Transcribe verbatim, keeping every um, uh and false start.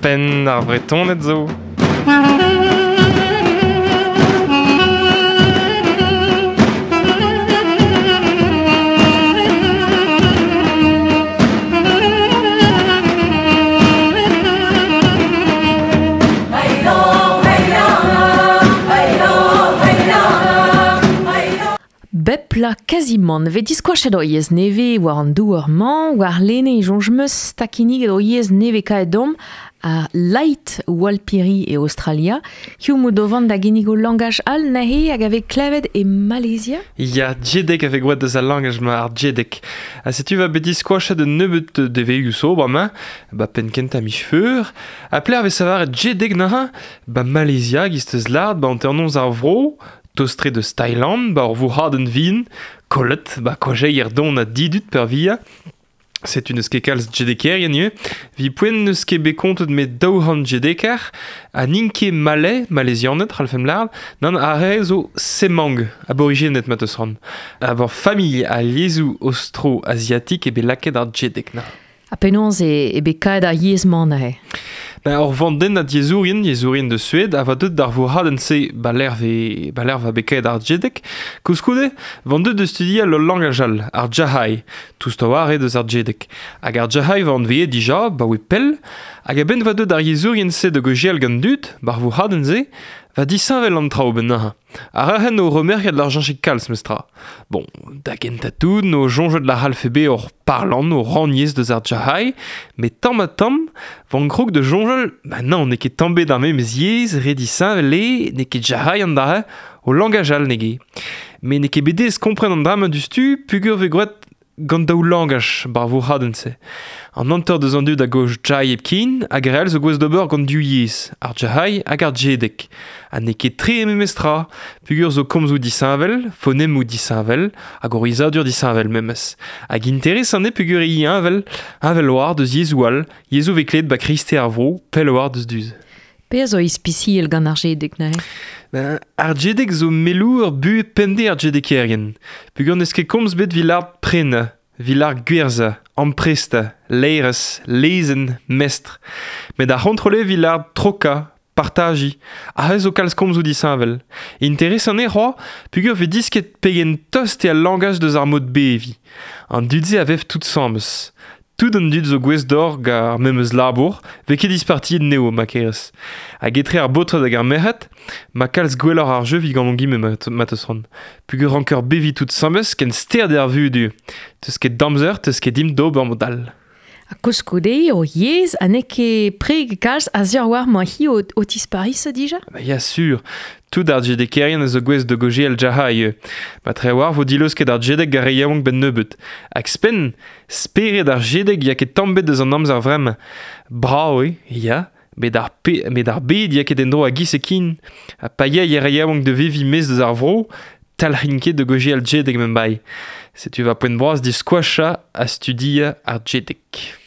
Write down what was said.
Penn ar Vretoned zo. Bep la kazimant ve diskoachet o yez neve war an douar man, war lene jonj meus takinig o yez neve kaet dom a Light Walpiri e Australia. Hiu modovan da ginnig o langaj al nahe hag ave klevet e Malaysia? Ya, jedek ave gwad deus al langaj ma ar jedek. A setu va bet diskoachet un nebeut deveioù so ba ba pen kenta mich feur. A pler ave savar jedek naha, ba Malaysia gisteus lard ba anternoz ar vro, tostre deus Thailand, ba ur vourc'hadenn vin, kollet, ba kojeier don a didut per via. Setu neus ket kalz jedekerien ivez. Vi poent neus ket bet kontet met daou c'hant jedeker, ha n'int ket malais, malaisianed, c'hallfemp lard, nann ar re zo semang, aborigened mat eus ran. A bar familh a yezhoù austro-asiatik e bet lakaet ar jedek na. Ha penaos e, e bet kaet ar yezh-mañ neuze? Ben, ur vandenn a yezhourien, yezhourien de Suède, a va deut d'ar vourc'hadenn-se ba l'er ve, ba l'er va bet kaet ar jedek, koulskoude, van deut de studial ul langaj all, ar jahai, toust a oar eo deus ar jedek. Hag ar jahai va anveet dija, ba oe pell, hag a-benn va deut ar yezhourien-se de gojial gant dud, bar vourc'hadenn-se, va disheñvel an traoù ben neuze. Ar rahen o remerket l'ar jañchik kalz mestra. Bon, da gentañ tout no soñjet la c'hallfe hor parlant o rannyezh deus ar jahai, met tamm ha tamm, van krog de soñjal, ba non, n'eo ket tamm bet ar memes yezh, re disheñvel eo, n'eo ket jahai an dra, o langaj all nege. Met n'eo ket bet aes kompren an dra-mañ diouzhtu, pugur vez gwraet gant daou langaj bar vourc'hadenn-se. An hanter deus an dud a goj jai hepken hag ar re all zo gouest d'ober gant div yezh, ar jahai hag ar jedek. Ha n'eo ket tre memes tra, pugur zo komzoù disheñvel, fonemoù disheñvel, hag ur yezhadur disheñvel memes. Hag interesant eo pugur eo heñvel, heñvel oar deus yezhoù all, yezhoù vez klevet ba kreisteiz ar vro, pell oar deus duz. Pezh zo ispisial gant ar jedek neuze? Ben, ar jedek zo melour buhez pemdez ar jedekerien. Pugur n'eus ket komz bet evit lâret prenañ, evit lâret gwerzhañ, amprestañ, laerezh, lezenn, mestr. Met ar c'hontrol eo evit lâret trokañ, partajiñ, aze zo kalz komzoù disheñvel. Interesant eo c'hoazh, pugur vez disket pegen tost eo al langaj deus ar mod beviñ. An dud-se a vev tout asambles. Tout an dud zo gouest d'or gant ar memes labour, vez ket dispartiet neo, ma kerez. Hag etre ar baotred hag ar merc'hed, ma kalz gwelloc'h ar jeu evit gant hon gime mat eus ran. Pugur ranker beviñ tout asambles ken stert eo ar vuhez du. Teus ket damzer, teus ket dimp d'ober mod all. Ha koulskoude o yezh ha n'eo ket preg kalz a sur war ma hi o, o tisparis dija? Ba ya sur, tout ar jedekerien a zo gouest de gojial jahai eo. Ma tre war vo dileusket ar jedek gar re yaouank ben nebeut. Hag spenn, spered ar jedek ya ket tamm bet deus an amzer vremañ. Brav eo, ya, met ar, pe, met ar bed ya ket en-dro a giz e kin. Ha pa ya re yaouank de veviñ maez deus ar vro, talc'hin ket de gojial jedek men bai. Setu va poent bras diskoachañ ha studiañ ar jedek.